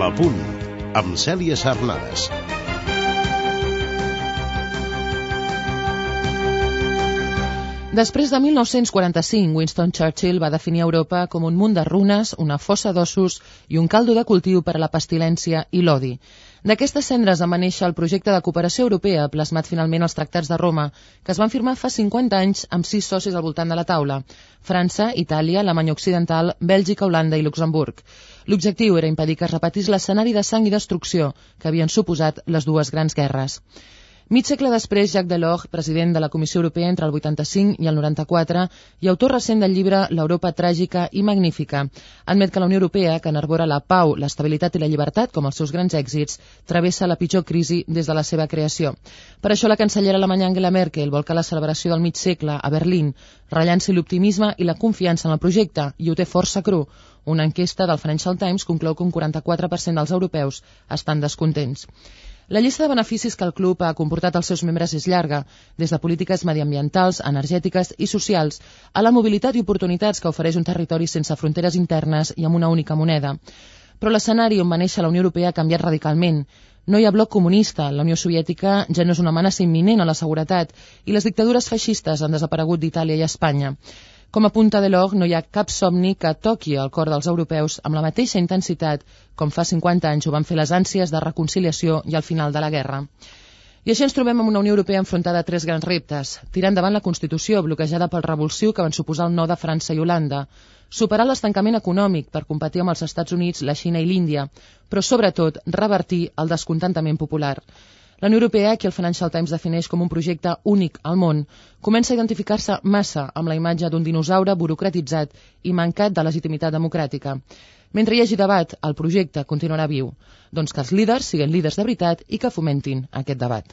La Punt, amb Cèlia Sarnades. Després de 1945, Winston Churchill va definir Europa com un munt de runes, una fossa d'ossos i un caldo de cultiu per a la pestilència i l'odi. D'aquestes cendres va néixer el projecte de cooperació europea, plasmat finalment als Tractats de Roma, que es van firmar fa 50 anys amb 6 socis al voltant de la taula: França, Itàlia, Alemanya Occidental, Bèlgica, Holanda i Luxemburg. L'objectiu era impedir que es repetís l'escenari de sang i destrucció que havien suposat les dues grans guerres. Mig segle després, Jacques Delors, president de la Comissió Europea entre el 85 i el 94 i autor recent del llibre L'Europa tràgica i magnífica, admet que la Unió Europea, que enarbora la pau, l'estabilitat i la llibertat com els seus grans èxits, travessa la pitjor crisi des de la seva creació. Per això la cancellera alemanya Angela Merkel vol que la celebració del mig segle a Berlín rellanci l'optimisme i la confiança en el projecte, i ho té força cru. Una enquesta del Financial Times conclou que un 44% dels europeus estan descontents. La llista de beneficis que el club ha comportat als seus membres és llarga, des de polítiques mediambientals, energètiques i socials, a la mobilitat i oportunitats que ofereix un territori sense fronteres internes i amb una única moneda. Però l'escenari on va néixer la Unió Europea ha canviat radicalment. No hi ha bloc comunista, la Unió Soviètica ja no és una amenaça imminent a la seguretat i les dictadures feixistes han desaparegut d'Itàlia i Espanya. Com apunta Delors, no hi ha cap somni que toqui el cor dels europeus amb la mateixa intensitat com fa 50 anys ho van fer les ànsies de reconciliació i el final de la guerra. I així ens trobem amb una Unió Europea enfrontada a 3 grans reptes: tirar endavant la Constitució, bloquejada pel revulsiu que van suposar el no de França i Holanda, superar l'estancament econòmic per competir amb els Estats Units, la Xina i l'Índia, però sobretot revertir el descontentament popular. La Unió Europea, que el Financial Times defineix com un projecte únic al món, comença a identificar-se massa amb la imatge d'un dinosaure burocratitzat i mancat de legitimitat democràtica. Mentre hi hagi debat, el projecte continuarà viu. Doncs que els líders siguin líders de veritat i que fomentin aquest debat.